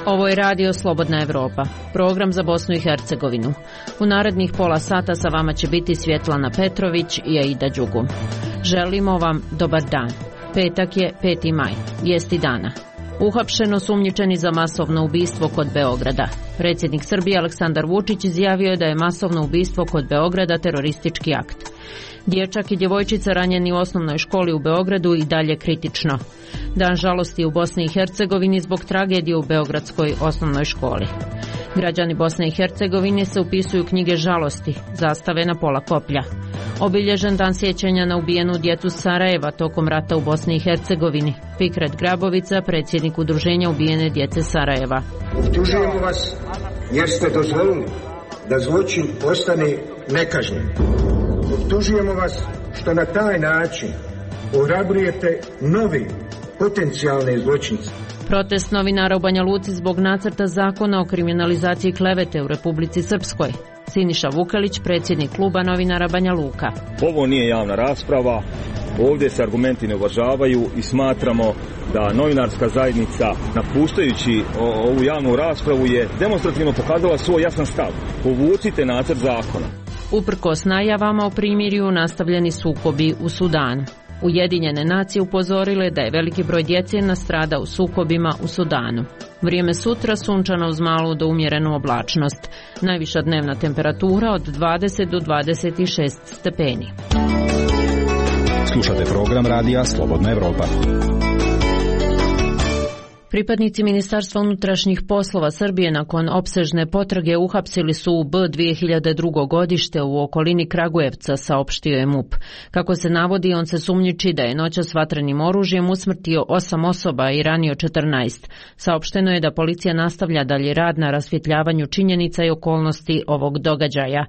Ovo je Radio Slobodna Evropa, program za Bosnu i Hercegovinu. U narednih pola sata sa vama će biti Svjetlana Petrović i Aida Đugum. Želimo vam dobar dan. Petak je 5. maj, vijesti dana. Uhapšeno sumnjičeni za masovno ubistvo kod Beograda. Predsjednik Srbije Aleksandar Vučić izjavio je da je masovno ubistvo kod Beograda teroristički akt. Dječak i djevojčica ranjeni u osnovnoj školi u Beogradu i dalje kritično. Dan žalosti u Bosni i Hercegovini zbog tragedije u beogradskoj osnovnoj školi. Građani Bosne i Hercegovine se upisuju knjige žalosti, zastave na pola koplja. Obilježen dan sjećanja na ubijenu djecu Sarajeva tokom rata u Bosni i Hercegovini. Fikret Grabovica, predsjednik udruženja ubijene djece Sarajeva. Optužujemo vas jer ste dozvolili da zločin ostane nekažnjen. Optužujemo vas što na taj način ohrabrujete nove potencijalne zločince. Protest novinara u Banja Luci zbog nacrta zakona o kriminalizaciji klevete u Republici Srpskoj. Siniša Vukelić, predsjednik kluba novinara Banja Luka. Ovo nije javna rasprava, ovdje se argumenti ne uvažavaju i smatramo da novinarska zajednica, napuštajući ovu javnu raspravu, je demonstrativno pokazala svoj jasan stav. Povucite nacrt zakona. Uprkos najavama o primirju, nastavljeni sukobi u Sudanu. Ujedinjene nacije upozorile da je veliki broj djece nastrada u sukobima u Sudanu. Vrijeme sutra sunčano uz malu do umjerenu oblačnost. Najviša dnevna temperatura od 20 do 26 stepeni. Slušate program Radija Slobodna Evropa. Pripadnici Ministarstva unutrašnjih poslova Srbije nakon opsežne potrage uhapsili su u B2002. godište u okolini Kragujevca, saopštio je MUP. Kako se navodi, on se sumnjiči da je noćas vatrenim oružjem usmrtio 8 osoba i ranio 14. Saopšteno je da policija nastavlja dalje rad na rasvjetljavanju činjenica i okolnosti ovog događaja.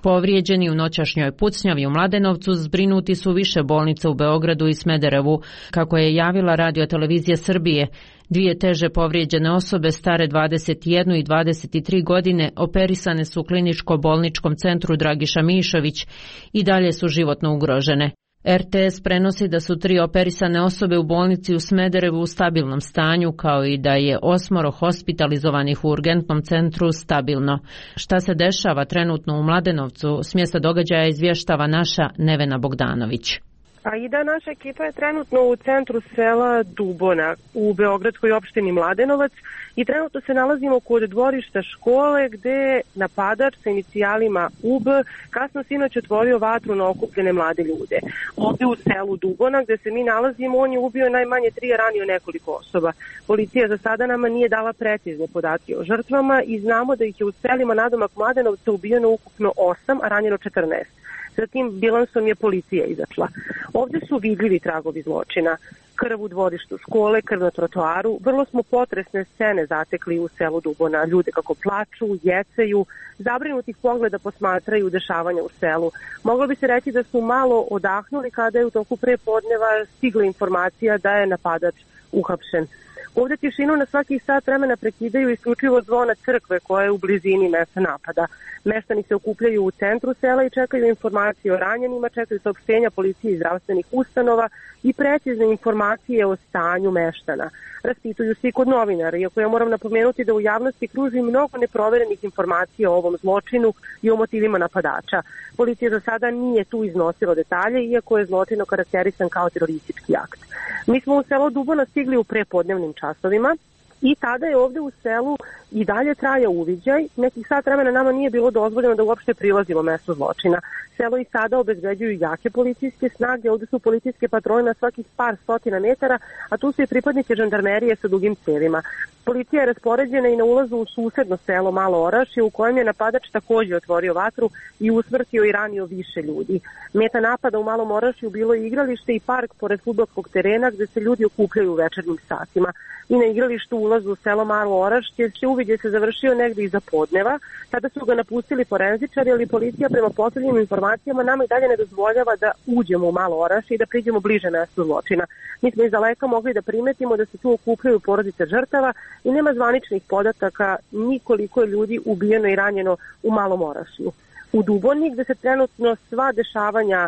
Povrijeđeni u noćašnjoj pucnjavi u Mladenovcu zbrinuti su više bolnica u Beogradu i Smederevu, kako je javila Radio-televizija Srbije. Dvije teže povrijeđene osobe stare 21 i 23 godine operisane su u kliničko-bolničkom centru Dragiša Mišović i dalje su životno ugrožene. RTS prenosi da su 3 operisane osobe u bolnici u Smederevu u stabilnom stanju, kao i da je 8 hospitalizovanih u urgentnom centru stabilno. Šta se dešava trenutno u Mladenovcu, s mjesta događaja izvještava naša Nevena Bogdanović. Aida, naša ekipa je trenutno u centru sela Dubona u beogradskoj opštini Mladenovac i trenutno se nalazimo kod dvorišta škole gde je napadač sa inicijalima UB kasno sinoć otvorio vatru na okupljene mlade ljude. Ovdje u selu Dubona gde se mi nalazimo, on je ubio najmanje 3 i ranio nekoliko osoba. Policija za sada nama nije dala precizne podatke o žrtvama i znamo da ih je u selima nadomak Mladenovca ubijeno ukupno 8, a ranjeno 14. Za tim bilansom je policija izašla. Ovdje su vidljivi tragovi zločina. Krv u dvorištu škole, krv na trotoaru. Vrlo smo potresne scene zatekli u selu Dubona. Ljude kako plaču, jecaju, zabrinutih pogleda posmatraju dešavanja u selu. Moglo bi se reći da su malo odahnuli kada je u toku prepodneva stigla informacija da je napadač uhapšen. Ovdje tišinu na svaki sat vremena prekidaju isključivo zvona crkve koja je u blizini mjesta napada. Meštani se okupljaju u centru sela i čekaju informacije o ranjenima, čekaju saopštenja policije i zdravstvenih ustanova i precizne informacije o stanju meštana. Raspituju se i kod novinara, iako ja moram napomenuti da u javnosti kruži mnogo neproverenih informacija o ovom zločinu i o motivima napadača. Policija za sada nije tu iznosila detalje, iako je zločin okarakterisan kao teroristički akt. Mi smo u selo Dubona stigli u prepodnevnim časovima i tada je ovdje u selu i dalje traja uviđaj. Nekih sat vremena nama nije bilo dozvoljeno da uopšte prilazimo mjestu zločina. Selo i sada obezbeđuju jake policijske snage, ovdje su policijske patrole na svakih par stotina metara, a tu su i pripadnici žandarmerije sa dugim cevima. Policija je raspoređena i na ulazu u susedno selo Malo Orašje, u kojem je napadač također otvorio vatru i usmrtio i ranio više ljudi. Meta napada u Malom Orašju bilo je igralište i park pored fudbalskog terena gdje se ljudi okupljaju u večernjim satima. I na igralištu ulazu u selo Malo Orašje uviđaj se završio negdje iza podneva. Tada su ga napustili forenzičari, ali policija prema posljednjim informacijama nama i dalje ne dozvoljava da uđemo u Malo Orašje i da priđemo bliže mjestu zločina. Mi smo iz daleka mogli da primetimo da se tu okupljaju porodice žrtava i nema zvaničnih podataka ni koliko je ljudi ubijeno i ranjeno u Malom Orašju. u Duboni, gde se trenutno sva dešavanja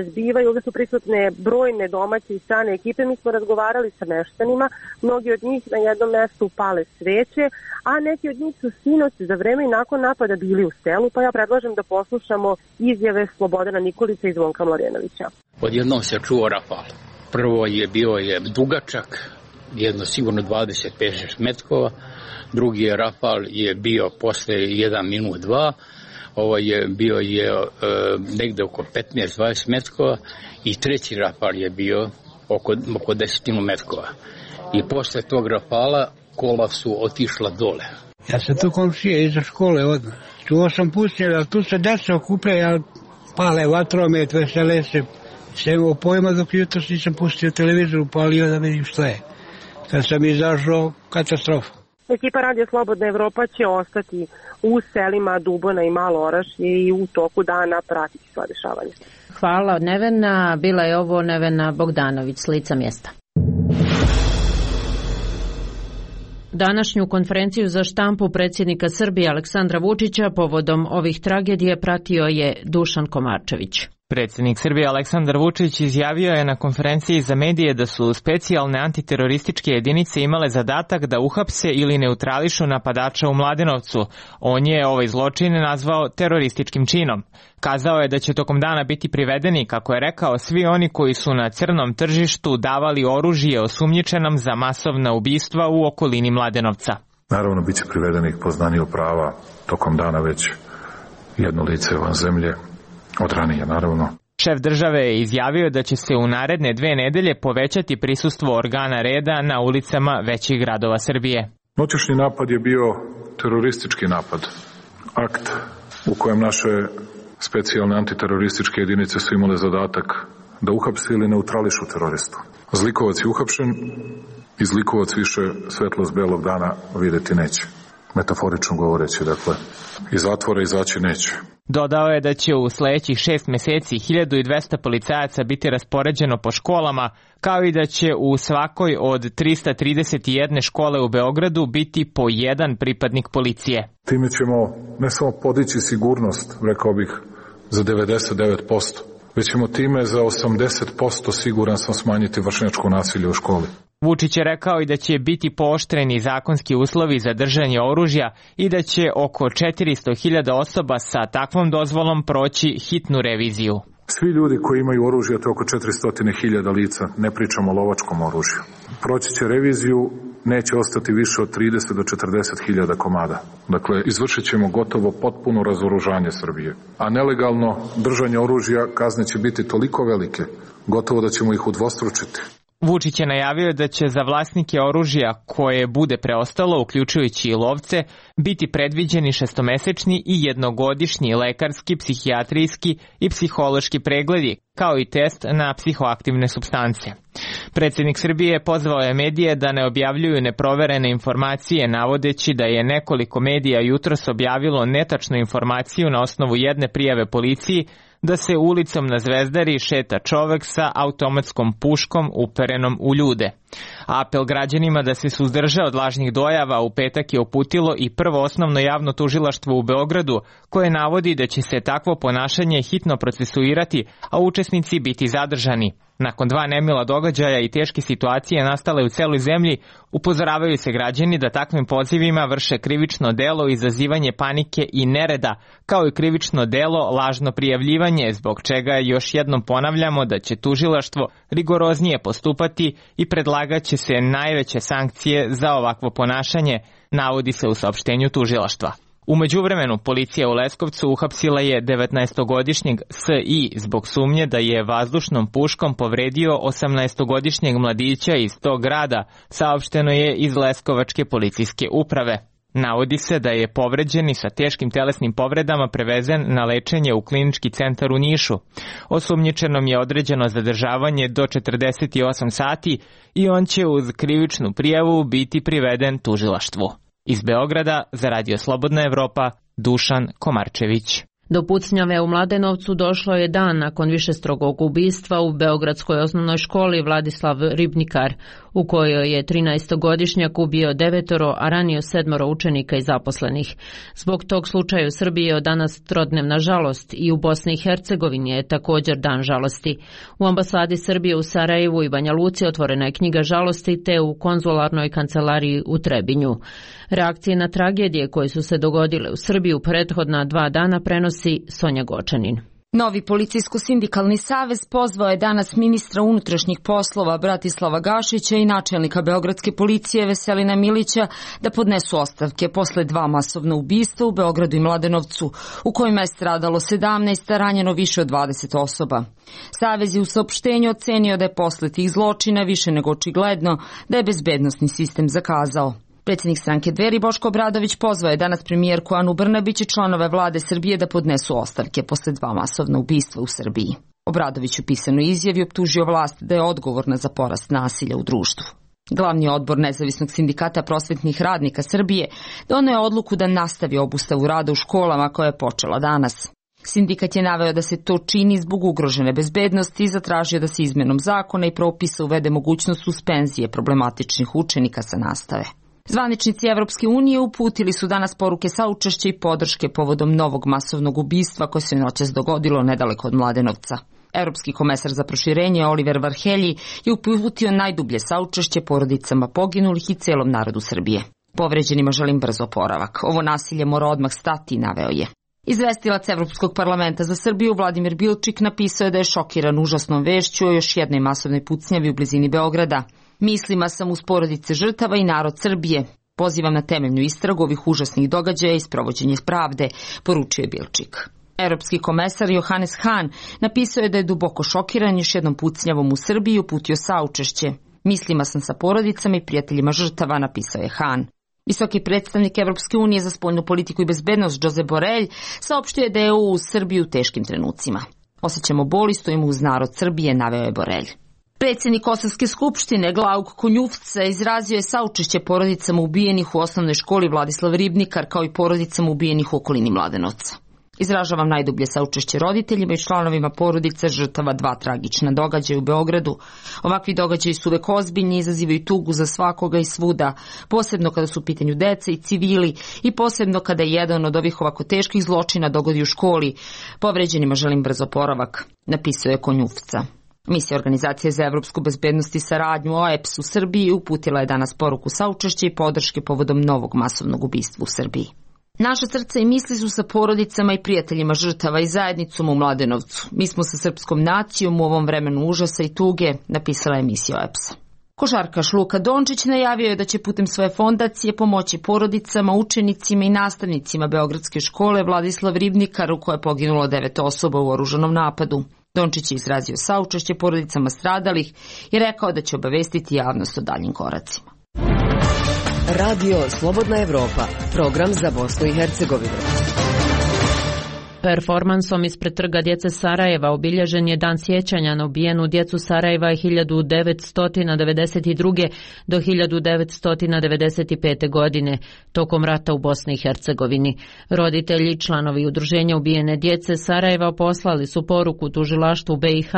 zbivaju. Ovdje su prisutne brojne domaće i strane ekipe. Mi smo razgovarali sa meštanima, mnogi od njih na jednom mjestu pale sveće, a neki od njih su sinoć za vreme i nakon napada bili u selu, pa ja predlažem da poslušamo izjave Slobodana Nikolića i Zvonka Mladenovića. Odjednom se čuo rafal. Prvo je bio dugačak, jedno sigurno 25 metkova, drugi je rafal je bio posle 1 minut 2, ovaj je bio negde oko 15-20 metkova i treći rafal je bio oko 10 metkova. I posle tog rafala kola su otišla dole. Ja sam tu komšije iza škole odmah. Čuo sam pucnjeve, ali tu se deca okupljaju, pale vatromet, vesele se. Sve imao pojma dok jutro nisam pustio televizor, upalio da vidim što je. Kad sam izašao, katastrofa. Ekipa Radio Slobodna Evropa će ostati u selima Dubona i Malo Orašje i u toku dana pratiti sva dešavanja. Hvala od Nevena. Bila je ovo Nevena Bogdanović s lica mjesta. Današnju konferenciju za štampu predsjednika Srbije Aleksandra Vučića povodom ovih tragedije pratio je Dušan Komarčević. Predsjednik Srbije Aleksandar Vučić izjavio je na konferenciji za medije da su specijalne antiterorističke jedinice imale zadatak da uhapse ili neutrališu napadača u Mladenovcu. On je ovaj zločin nazvao terorističkim činom. Kazao je da će tokom dana biti privedeni, kako je rekao, svi oni koji su na crnom tržištu davali oružje osumnjičenom za masovna ubistva u okolini Mladenovca. Naravno, bit će privedenih poznaniju prava tokom dana već jedno lice van zemlje. Od ranije, naravno. Šef države je izjavio da će se u naredne 2 nedelje povećati prisustvo organa reda na ulicama većih gradova Srbije. Noćašnji napad je bio teroristički napad. Akt u kojem naše specijalne antiterorističke jedinice su imale zadatak da uhapse ili neutrališu teroristu. Zlikovac je uhapšen i zlikovac više svetlost belog dana vidjeti neće. Metaforično govoreći, dakle, iz zatvora izaći neće. Dodao je da će u sljedećih 6 mjeseci 1200 policajaca biti raspoređeno po školama, kao i da će u svakoj od 331 škole u Beogradu biti po 1 pripadnik policije. Time ćemo ne samo podići sigurnost, rekao bih, za 99%, već ćemo time za 80% siguran sam smanjiti vršnjačko nasilje u školi. Vučić je rekao i da će biti pooštreni zakonski uslovi za držanje oružja i da će oko 400.000 osoba sa takvom dozvolom proći hitnu reviziju. Svi ljudi koji imaju oružje, to je oko 400.000 lica, ne pričamo o lovačkom oružju. Proći će reviziju, neće ostati više od 30 do 40.000 komada. Dakle, izvršit ćemo gotovo potpuno razoružanje Srbije. A nelegalno držanje oružja kazne će biti toliko velike, gotovo da ćemo ih udvostručiti. Vučić je najavio da će za vlasnike oružja koje bude preostalo, uključujući i lovce, biti predviđeni 6-mesečni i 1-godišnji lekarski, psihijatrijski i psihološki pregledi, kao i test na psihoaktivne supstance. Predsjednik Srbije pozvao je medije da ne objavljuju neproverene informacije, navodeći da je nekoliko medija jutros objavilo netačnu informaciju na osnovu jedne prijave policiji da se ulicom na Zvezdari šeta čovek sa automatskom puškom uperenom u ljude. Apel građanima da se suzdrže od lažnih dojava u petak je uputilo i Prvo osnovno javno tužilaštvo u Beogradu, koje navodi da će se takvo ponašanje hitno procesuirati, a učesnici biti zadržani. Nakon 2 nemila događaja i teške situacije nastale u celoj zemlji, upozoravaju se građani da takvim pozivima vrše krivično delo izazivanje panike i nereda, kao i krivično delo lažno prijavljivanje, zbog čega još jednom ponavljamo da će tužilaštvo rigoroznije postupati i predlagat će se najveće sankcije za ovakvo ponašanje, navodi se u saopštenju tužilaštva. U međuvremenu, policija u Leskovcu uhapsila je 19-godišnjeg S.I. zbog sumnje da je vazdušnom puškom povredio 18-godišnjeg mladića iz tog grada, saopšteno je iz Leskovačke policijske uprave. Navodi se da je povređeni sa teškim telesnim povredama prevezen na lečenje u klinički centar u Nišu. Osumnjičenom je određeno zadržavanje do 48 sati i on će uz krivičnu prijavu biti priveden tužilaštvu. Iz Beograda za Radio Slobodna Evropa, Dušan Komarčević. Do pucnjave u Mladenovcu došlo je dan nakon višestrukog ubistva u beogradskoj osnovnoj školi Vladislav Ribnikar, u kojoj je 13-godišnjak ubio 9, a ranio 7 učenika i zaposlenih. Zbog tog slučaja u Srbiji je od danas trodnevna žalost i u Bosni i Hercegovini je također dan žalosti. U ambasadi Srbije u Sarajevu i Banja Luci otvorena je knjiga žalosti, te u konzularnoj kancelariji u Trebinju. Reakcije na tragedije koje su se dogodile u Srbiji u prethodna 2 dana prenosi Sonja Gočanin. Novi policijsko-sindikalni savez pozvao je danas ministra unutrašnjih poslova Bratislava Gašića i načelnika beogradske policije Veselina Milića da podnesu ostavke posle 2 masovna ubistva u Beogradu i Mladenovcu, u kojima je stradalo 17, a ranjeno više od 20 osoba. Savez je u saopštenju ocenio da je posle tih zločina više nego očigledno da je bezbednosni sistem zakazao. Predsjednik stranke Dveri Boško Obradović pozvao je danas premijerku Anu Brnabić i članove vlade Srbije da podnesu ostavke posle 2 masovna ubistva u Srbiji. Obradović u pisanoj izjavi optužio vlast da je odgovorna za porast nasilja u društvu. Glavni odbor Nezavisnog sindikata prosvetnih radnika Srbije doneo je odluku da nastavi obustavu rada u školama koja je počela danas. Sindikat je naveo da se to čini zbog ugrožene bezbednosti i zatražio da se izmenom zakona i propisa uvede mogućnost suspenzije problematičnih učenika sa nastave. Zvaničnici Evropske unije uputili su danas poruke saučešća i podrške povodom novog masovnog ubistva koje se noćas dogodilo nedaleko od Mladenovca. Evropski komesar za proširenje Oliver Varhelji je uputio najdublje saučešće porodicama poginulih i celom narodu Srbije. Povređenima želim brz oporavak. Ovo nasilje mora odmah stati, naveo je. Izvestilac Evropskog parlamenta za Srbiju Vladimir Bilčik napisao je da je šokiran užasnom vešću o još jednoj masovnoj pucnjavi u blizini Beograda. Mislima sam uz porodice žrtava i narod Srbije. Pozivam na temeljnu istragu ovih užasnih događaja i sprovođenje pravde, poručio je Bilčik. Europski komesar Johannes Hahn napisao je da je duboko šokiran još jednom pucnjavom u Srbiji i uputio saučešće. Mislima sam sa porodicama i prijateljima žrtava, napisao je Hahn. Visoki predstavnik Evropske unije za spoljnu politiku i bezbednost Josep Borrell saopštio je da je u Srbiji u teškim trenucima. Osjećamo bol i stojimo uz narod Srbije, naveo je Borrell. Predsjednik Kosovske skupštine Glauk Konjufca izrazio je saučešće porodicama ubijenih u osnovnoj školi Vladislav Ribnikar kao i porodicama ubijenih u okolini Mladenovca. Izražavam najdublje saučešće roditeljima i članovima porodica žrtava 2 tragična događaja u Beogradu. Ovakvi događaji su uvek ozbiljni i izazivaju tugu za svakoga i svuda, posebno kada su u pitanju deca i civili i posebno kada jedan od ovih ovako teških zločina dogodi u školi. Povređenima želim brz oporavak, napisao je Konjufca. Misija Organizacije za evropsku bezbednost i saradnju OEPS u Srbiji uputila je danas poruku saučešća i podrške povodom novog masovnog ubistva u Srbiji. Naša srca i misli su sa porodicama i prijateljima žrtava i zajednicom u Mladenovcu. Mi smo sa srpskom nacijom u ovom vremenu užasa i tuge, napisala je misija OEPS-a. Košarkaš Luka Dončić najavio je da će putem svoje fondacije pomoći porodicama, učenicima i nastavnicima Beogradske škole Vladislav Ribnikar, u kojoj je poginulo 9 osoba u oružanom napadu. Dončić je izrazio saučešće porodicama stradalih i rekao da će obavestiti javnost o daljim koracima. Radio Slobodna Evropa, program za Bosnu i Hercegovinu. Performansom ispred trga djece Sarajeva obilježen je dan sjećanja na ubijenu djecu Sarajeva 1992. do 1995. godine tokom rata u Bosni i Hercegovini. Roditelji, članovi udruženja ubijene djece Sarajeva poslali su poruku tužilaštvu BiH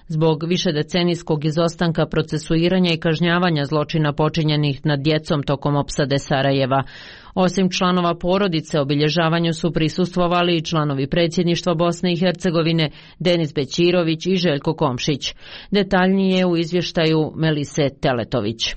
zbog višedecenijskog izostanka procesuiranja i kažnjavanja zločina počinjenih nad djecom tokom opsade Sarajeva. Osim članova porodice, obilježavanju su prisustvovali i članovi predsjedništva Bosne i Hercegovine Denis Bećirović i Željko Komšić. Detaljnije u izvještaju Melise Teletović.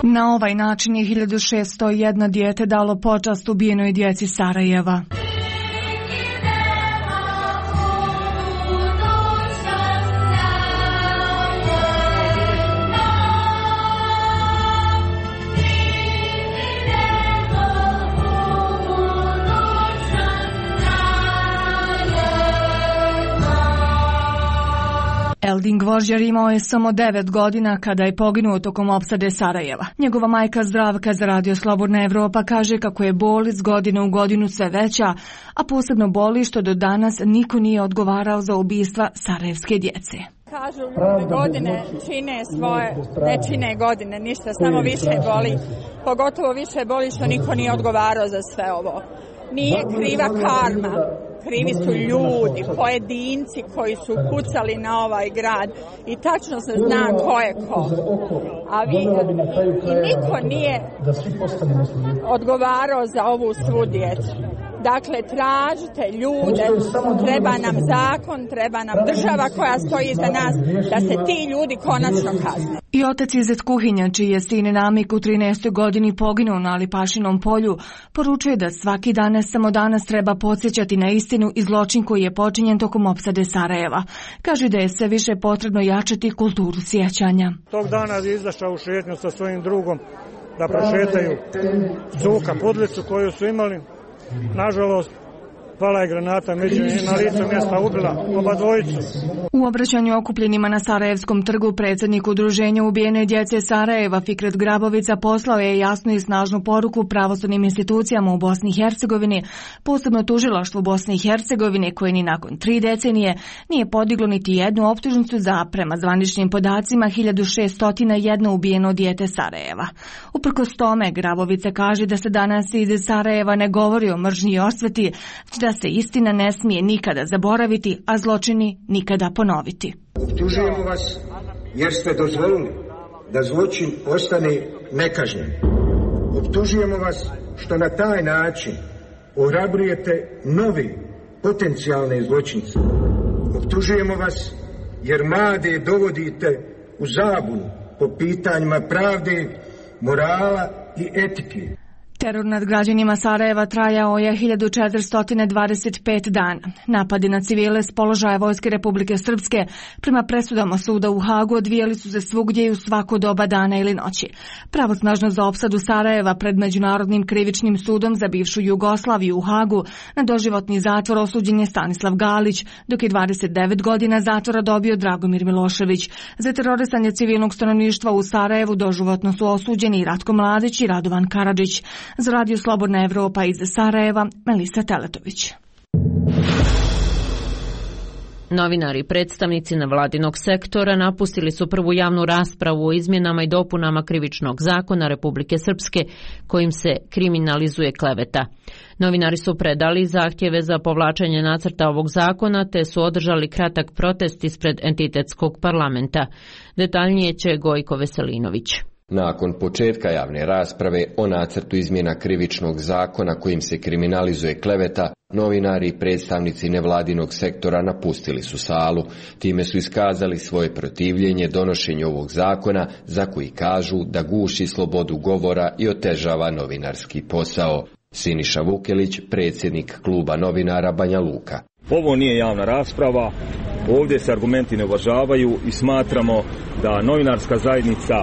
Na ovaj način je 1601 dijete dalo počast ubijenoj djeci Sarajeva. Geraldin Gvožđer imao je samo 9 godina kada je poginuo tokom opsade Sarajeva. Njegova majka Zdravka za Radio Slobodna Evropa kaže kako je bol iz godine u godinu sve veća, a posebno boli što do danas niko nije odgovarao za ubistva sarajevske djece. Kažu ljudi godine čine svoje, ne čine godine, ništa, samo više boli. Pogotovo više boli što niko nije odgovarao za sve ovo. Nije kriva karma, krivi su ljudi, pojedinci koji su pucali na ovaj grad i tačno se zna ko je ko. I niko nije odgovarao za ovu svu djecu. Dakle, tražite ljude, treba nam zakon, treba nam država koja stoji iza nas, da se ti ljudi konačno kazne. I otac Izet Kuhinja, čiji je sin Namik u 13. godini poginuo na Alipašinom polju, poručuje da svaki dan, ne samo danas, treba podsjećati na istinu i zločin koji je počinjen tokom opsade Sarajeva. Kaže da je sve više potrebno jačati kulturu sjećanja. Tog dana je izašao u šetnju sa svojim drugom da prošetaju Cuka Pudlicu koju su imali. Nažalost, pala je granata, međutim na licu mjesta ubila oba dvojicu. U obraćanju okupljenima na Sarajevskom trgu predsjednik udruženja ubijene djece Sarajeva Fikret Grabovica poslao je jasnu i snažnu poruku pravosudnim institucijama u Bosni i Hercegovini, posebno tužilaštvu Bosne i Hercegovine koje ni nakon 3 decenije nije podiglo niti jednu optužnicu za, prema zvaničnim podacima, 1601 ubijeno dijete Sarajeva. Uprkos tome, Grabovica kaže da se danas iz Sarajeva ne govori o mržnji i osveti, da se istina ne smije nikada zaboraviti, a zločini nikada ponoviti. Optužujemo vas jer ste dozvolili da zločin ostane nekažnjen. Optužujemo vas što na taj način ohrabrujete novi potencijalne zločince. Optužujemo vas jer mlade dovodite u zabunu po pitanjima pravde, morala i etike. Teror nad građanima Sarajeva trajao je 1425 dana. Napadi na civile s položaja Vojske Republike Srpske prema presudama suda u Hagu odvijali su se svugdje i u svako doba dana ili noći. Pravosnažno za opsadu Sarajeva pred Međunarodnim krivičnim sudom za bivšu Jugoslaviju u Hagu na doživotni zatvor osuđen je Stanislav Galić, dok je 29 godina zatvora dobio Dragomir Milošević. Za terorisanje civilnog stanovništva u Sarajevu doživotno su osuđeni Ratko Mladić i Radovan Karadžić. Za Radio Slobodna Evropa iz Sarajeva, Melisa Teletović. Novinari i predstavnici nevladinog sektora napustili su prvu javnu raspravu o izmjenama i dopunama Krivičnog zakona Republike Srpske kojim se kriminalizuje kleveta. Novinari su predali zahtjeve za povlačenje nacrta ovog zakona te su održali kratak protest ispred entitetskog parlamenta. Detaljnije će Gojko Veselinović. Nakon početka javne rasprave o nacrtu izmjena Krivičnog zakona kojim se kriminalizuje kleveta, novinari i predstavnici nevladinog sektora napustili su salu. Time su iskazali svoje protivljenje donošenju ovog zakona za koji kažu da guši slobodu govora i otežava novinarski posao. Siniša Vukelić, predsjednik kluba novinara Banja Luka. Ovo nije javna rasprava, ovdje se argumenti ne uvažavaju i smatramo da novinarska zajednica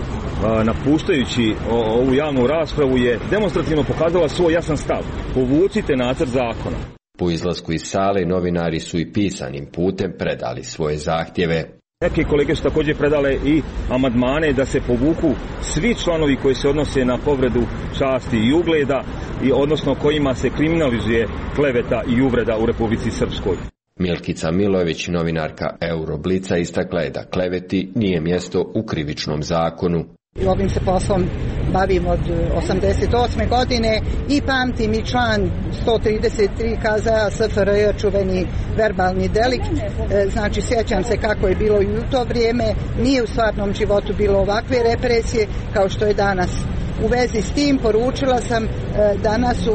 napuštajući ovu javnu raspravu je demonstrativno pokazala svoj jasan stav. Povucite nacrt zakona. Po izlasku iz sale novinari su i pisanim putem predali svoje zahtjeve. Neke kolege su također predale i amandmane da se povuku svi članovi koji se odnose na povredu časti i ugleda, i odnosno kojima se kriminalizuje kleveta i uvreda u Republici Srpskoj. Milkica Milojević, novinarka Euroblica, istakla je da kleveti nije mjesto u Krivičnom zakonu. Ovim se poslom bavim od 88. godine i pamtim i član 133 KZ-a SFRJ, čuveni verbalni delikt. Znači, sjećam se kako je bilo i u to vrijeme. Nije u stvarnom životu bilo ovakve represije kao što je danas. U vezi s tim poručila sam danas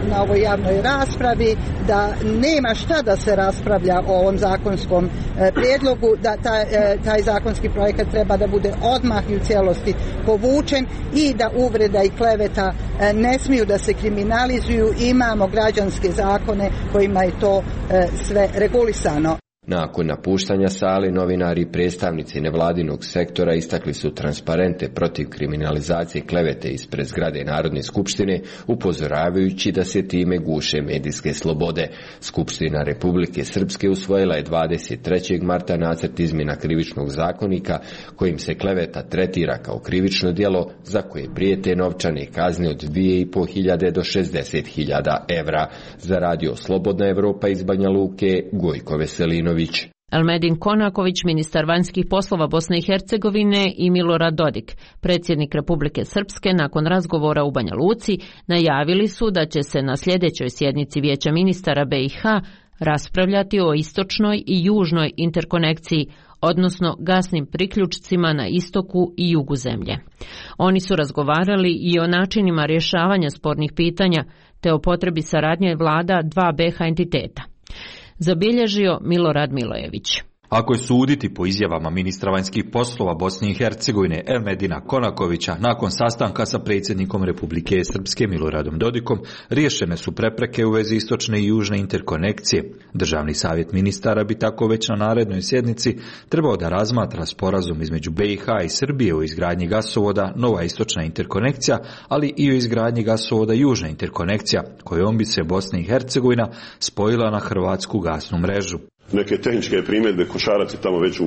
na ovoj javnoj raspravi da nema šta da se raspravlja o ovom zakonskom prijedlogu, da taj zakonski projekat treba da bude odmah i u cijelosti povučen i da uvreda i kleveta ne smiju da se kriminalizuju. Imamo građanske zakone kojima je to sve regulisano. Nakon napuštanja sale, novinari i predstavnici nevladinog sektora istakli su transparente protiv kriminalizacije klevete ispred zgrade Narodne skupštine, upozoravajući da se time guše medijske slobode. Skupština Republike Srpske usvojila je 23. marta nacrt izmjena krivičnog zakonika kojim se kleveta tretira kao krivično djelo za koje prijete novčane kazne od 2.500 do 60.000 evra. Za radio Slobodna Evropa iz Banja Luke, Gojko Veselinović. Elmedin Konaković, ministar vanjskih poslova Bosne i Hercegovine, i Milorad Dodik, predsjednik Republike Srpske, nakon razgovora u Banja Luci, najavili su da će se na sljedećoj sjednici Vijeća ministara BiH raspravljati o istočnoj i južnoj interkonekciji, odnosno gasnim priključcima na istoku i jugu zemlje. Oni su razgovarali i o načinima rješavanja spornih pitanja, te o potrebi saradnje vlada dva BiH entiteta. Zabilježio Milorad Milojević. Ako je suditi po izjavama ministra vanjskih poslova Bosne i Hercegovine Elmedina Konakovića nakon sastanka sa predsjednikom Republike Srpske Miloradom Dodikom, riješene su prepreke u vezi istočne i južne interkonekcije. Državni savjet ministara bi tako već na narednoj sjednici trebao da razmatra sporazum između BiH i Srbije o izgradnji gasovoda Nova istočna interkonekcija, ali i o izgradnji gasovoda Južna interkonekcija, kojom bi se Bosna i Hercegovina spojila na hrvatsku gasnu mrežu. Neke tehničke primjedbe Košarac je tamo već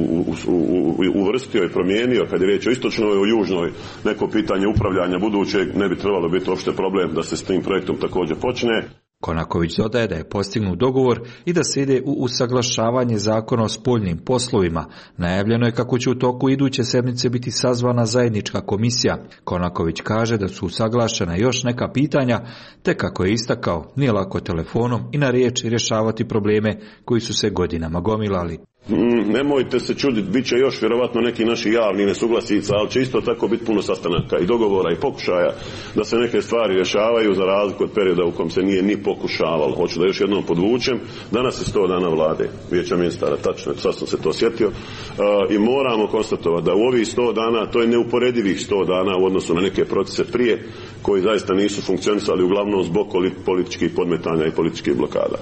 uvrstio i promijenio. Kad je riječ o istočnoj i o južnoj, neko pitanje upravljanja budućeg ne bi trebalo biti uopšte problem da se s tim projektom također počne. Konaković dodaje da je postignut dogovor i da se ide u usaglašavanje zakona o spoljnim poslovima. Najavljeno je kako će u toku iduće sedmice biti sazvana zajednička komisija. Konaković kaže da su usaglašena još neka pitanja, te kako je istakao, nije lako telefonom i na riječ rješavati probleme koji su se godinama gomilali. Nemojte se čuditi, bit će još vjerovatno neki naši javni nesuglasica, ali će isto tako biti puno sastanaka i dogovora i pokušaja da se neke stvari rješavaju za razliku od perioda u kom se nije ni pokušavalo. Hoću da još jednom podvučem, danas je 100 dana vlade, Vijeća ministara, tačno, sad sam se to sjetio, i moramo konstatovati da u ovih 100 dana, to je neuporedivih 100 dana u odnosu na neke procese prije, koji zaista nisu funkcionisali uglavnom zbog političkih podmetanja i političkih blokada.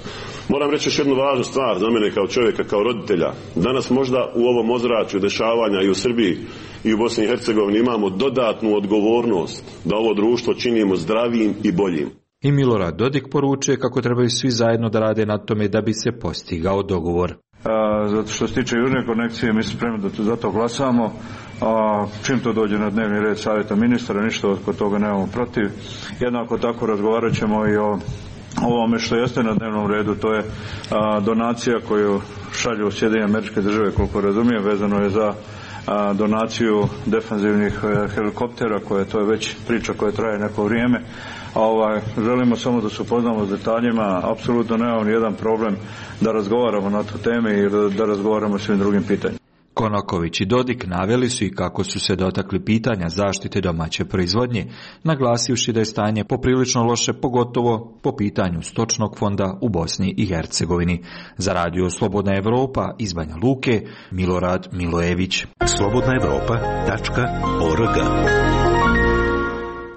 Moram reći još jednu važnu stvar za mene kao čovjeka, kao roditelja. Danas možda u ovom ozračju dešavanja i u Srbiji i u Bosni i Hercegovini imamo dodatnu odgovornost da ovo društvo činimo zdravijim i boljim. I Milorad Dodik poručuje kako trebaju svi zajedno da rade na tome da bi se postigao dogovor. Zato što se tiče južne konekcije, mi smo spremni da za to glasamo. Čim to dođe na dnevni red savjeta ministara, ništa od toga nemamo protiv. Jednako tako razgovarat ćemo i o ovome što jeste na dnevnom redu, to je donacija koju šalju Sjedinjene Američke Države, koliko razumijem, vezano je za donaciju defanzivnih helikoptera, to je već priča koja traje neko vrijeme. Želimo samo da se upoznamo s detaljima, apsolutno nemamo nijedan problem da razgovaramo na tu teme i da razgovaramo o svim drugim pitanjima. Konaković i Dodik naveli su i kako su se dotakli pitanja zaštite domaće proizvodnje, naglasivši da je stanje poprilično loše, pogotovo po pitanju stočnog fonda u Bosni i Hercegovini. Za radio Slobodna Evropa iz Banja Luke, Milorad Milojević. slobodnaevropa.org.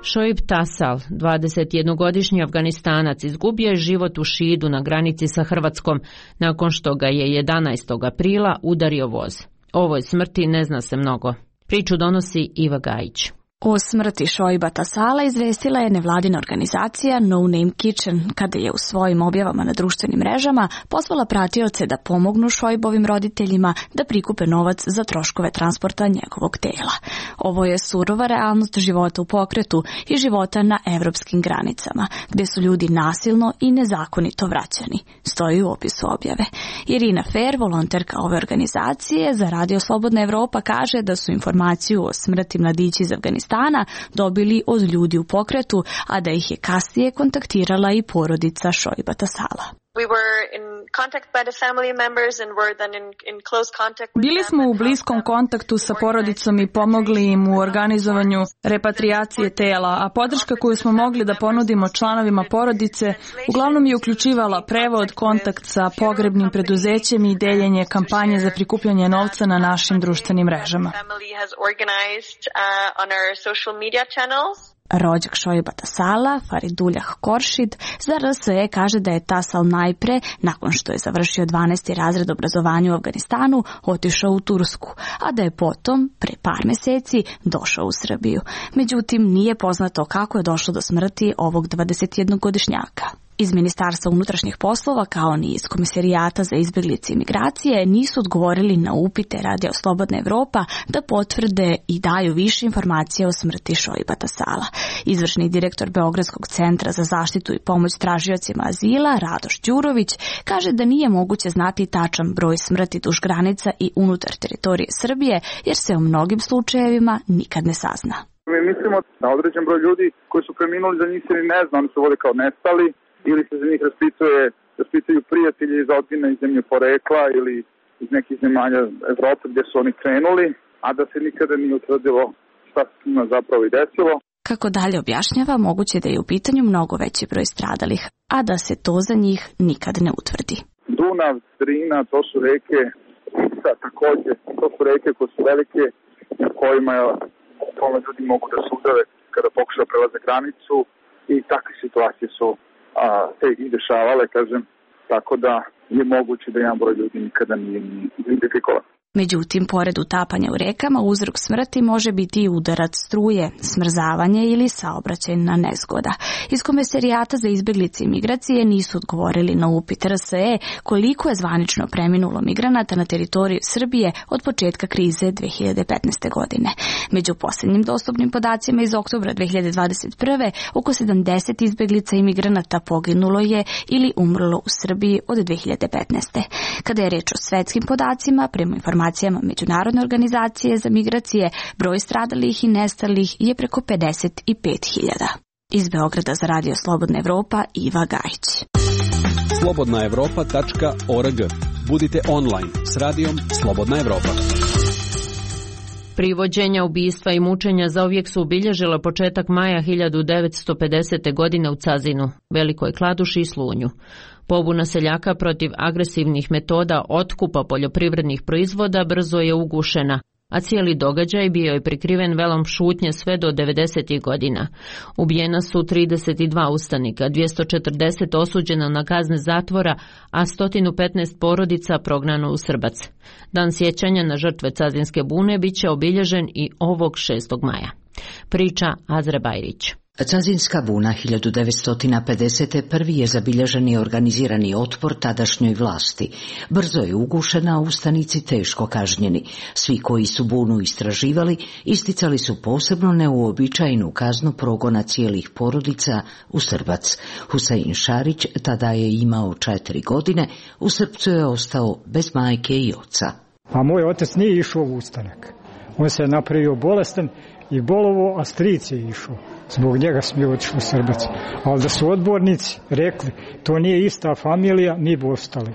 Šoib Tasal, 21-godišnji Afganistanac, izgubio je život u Šidu na granici sa Hrvatskom nakon što ga je 11. aprila udario voz. O ovoj smrti ne zna se mnogo. Priču donosi Iva Gajić. O smrti Šoiba Tasala izvestila je nevladina organizacija No Name Kitchen, kada je u svojim objavama na društvenim mrežama pozvala pratioce da pomognu Šoibovim roditeljima da prikupe novac za troškove transporta njegovog tela. Ovo je surova realnost života u pokretu i života na evropskim granicama, gdje su ljudi nasilno i nezakonito vraćani, stoji u opisu objave. Irina Fer, volonterka ove organizacije za radio Slobodna Evropa, kaže da su informaciju o smrti mladića iz Afganistana dobili od ljudi u pokretu, a da ih je kasnije kontaktirala i porodica Šoiba Tasala. Bili smo u bliskom kontaktu sa porodicom i pomogli im u organizovanju repatriacije tela, a podrška koju smo mogli da ponudimo članovima porodice uglavnom je uključivala prevod, kontakt sa pogrebnim preduzećem i deljenje kampanje za prikupljanje novca na našim društvenim mrežama. Rođak Šojba Tasala, Faridullah Koršid, za RSE kaže da je Tasal najpre, nakon što je završio 12. razred obrazovanja u Afganistanu, otišao u Tursku, a da je potom, pre par meseci, došao u Srbiju. Međutim, nije poznato kako je došlo do smrti ovog 21-godišnjaka. Iz Ministarstva unutrašnjih poslova, kao ni iz Komisarijata za izbjeglice i migracije, nisu odgovorili na upite Radio Slobodna Evropa da potvrde i daju više informacije o smrti Šojba Tasala. Izvršni direktor Beogradskog centra za zaštitu i pomoć tražiocima azila, Radoš Đurović, kaže da nije moguće znati tačan broj smrti duž granica i unutar teritorije Srbije, jer se o mnogim slučajevima nikad ne sazna. Mi mislimo da određen broj ljudi koji su preminuli, za njih se ni ne zna, oni se vode kao nestali, ili se za njih raspituju prijatelji iz rodbine iz zemlje porekla ili iz nekih zemalja Evrope gdje su oni krenuli, a da se nikada nije utvrdilo šta se njima zapravo i desilo. Kako dalje objašnjava, moguće da je u pitanju mnogo veći broj stradalih, a da se to za njih nikad ne utvrdi. Dunav, Drina, to su reke, također, to su reke koje su velike, na kojima ljudi mogu da se udave kada pokušaju prelaze granicu i takve situacije su se i dešavale, kažem, tako da je moguće da jedan broj ljudi nikada nije identifikovan. Međutim, pored utapanja u rekama, uzrok smrti može biti i udarac struje, smrzavanje ili saobraćajna nezgoda. Iz Komisarijata za izbjeglice i migracije nisu odgovorili na upit RSE koliko je zvanično preminulo migranata na teritoriji Srbije od početka krize 2015. godine. Među posljednjim dostupnim podacima iz oktobra 2021. oko 70 izbjeglica i migranata poginulo je ili umrlo u Srbiji od 2015. Kada je reč o svetskim podacima, prema informacijama Međunarodne organizacije za migracije, broj stradalih i nestalih je preko 55.000. Iz Beograda za Radio Slobodna Evropa, Iva Gajić. slobodnaevropa.org. Budite online s radijom Slobodna Evropa. Privođenja, ubistva i mučenja zauvijek su obilježila početak maja 1950. godine u Cazinu, Velikoj Kladuši i Slunju. Pobuna seljaka protiv agresivnih metoda otkupa poljoprivrednih proizvoda brzo je ugušena, a cijeli događaj bio je prikriven velom šutnje sve do 90. godina. Ubijena su 32 ustanika, 240 osuđeno na kazne zatvora, a 115 porodica prognano u Srbac. Dan sjećanja na žrtve Cazinske bune bit će obilježen i ovog 6. maja. Priča Azra Bajrić. Cazinska buna 1950. prvi je zabilježeni organizirani otpor tadašnjoj vlasti. Brzo je ugušena, a ustanici teško kažnjeni. Svi koji su bunu istraživali isticali su posebno neuobičajenu kaznu progona cijelih porodica u Srbac. Husein Šarić tada je imao 4 godine, u Srpcu je ostao bez majke i oca. A moj otac nije išao u ustanak. On se je napravio bolestan i bolovo, a stric je išao. Zbog njega smo otišli u Srbac. Ali da su odbornici rekli, to nije ista familija, mi bi ostali.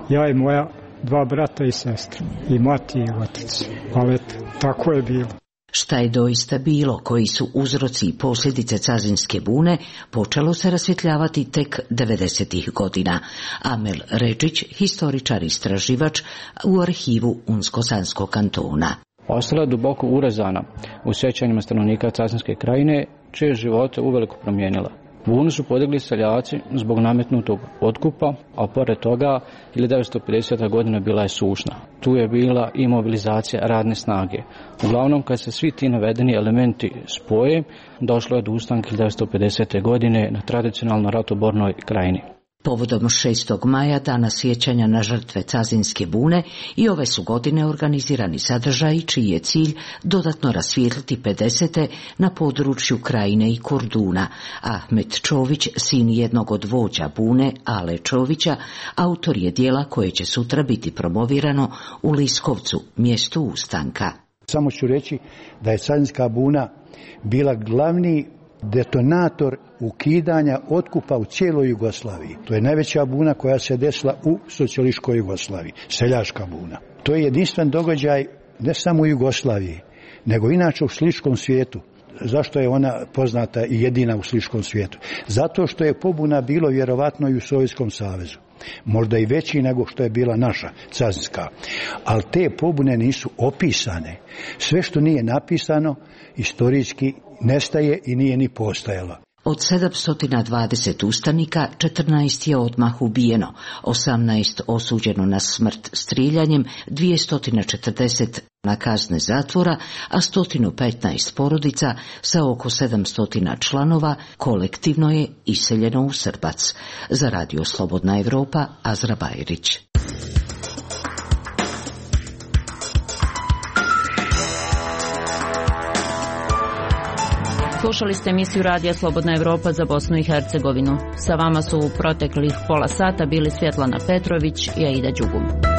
Ja i moja 2 brata i sestra. I mati i otac. Ali tako je bilo. Šta je doista bilo, koji su uzroci i posljedice Cazinske bune, počelo se rasvjetljavati tek 90. godina. Amel Rečić, historičar i istraživač u arhivu Unsko-Sanskog kantona. Ostala je duboko urezana u sjećanjima stanovnika Cazinske krajine, čije živote uveliko promijenila. Bunu su podigli seljaci zbog nametnutog otkupa, a pored toga 1950. godina bila je sušna. Tu je bila i mobilizacija radne snage. Uglavnom, kad se svi ti navedeni elementi spoje, došlo je do ustanka 1950. godine na tradicionalno ratobornoj krajini. Povodom 6. maja, dana sjećanja na žrtve Cazinske bune, i ove su godine organizirani sadržaji čiji je cilj dodatno rasvijetliti 50. na području Krajine i Korduna. Ahmet Čović, sin jednog od vođa bune, Ale Čovića, autor je dijela koje će sutra biti promovirano u Liskovcu, mjestu ustanka. Samo ću reći da je Cazinska buna bila glavni detonator ukidanja otkupa u cijeloj Jugoslaviji. To je najveća buna koja se desila u socijalističkoj Jugoslaviji, seljačka buna. To je jedinstven događaj ne samo u Jugoslaviji, nego inače u sličkom svijetu. Zašto je ona poznata i jedina u sličkom svijetu? Zato što je pobuna bilo vjerovatno i u Sovjetskom savezu. Možda i veći nego što je bila naša Cazinska. Ali te pobune nisu opisane. Sve što nije napisano, istorijski nestaje i nije ni postajala. Od 720 ustanika, 14 je odmah ubijeno, 18 osuđeno na smrt striljanjem, 240 na kazne zatvora, a 115 porodica sa oko 700 članova kolektivno je iseljeno u Srbac. Za Radio Slobodna Evropa, Azra Bajrić. Slušali ste emisiju Radija Slobodna Evropa za Bosnu i Hercegovinu. Sa vama su u proteklih pola sata bili Svjetlana Petrović i Aida Đugum.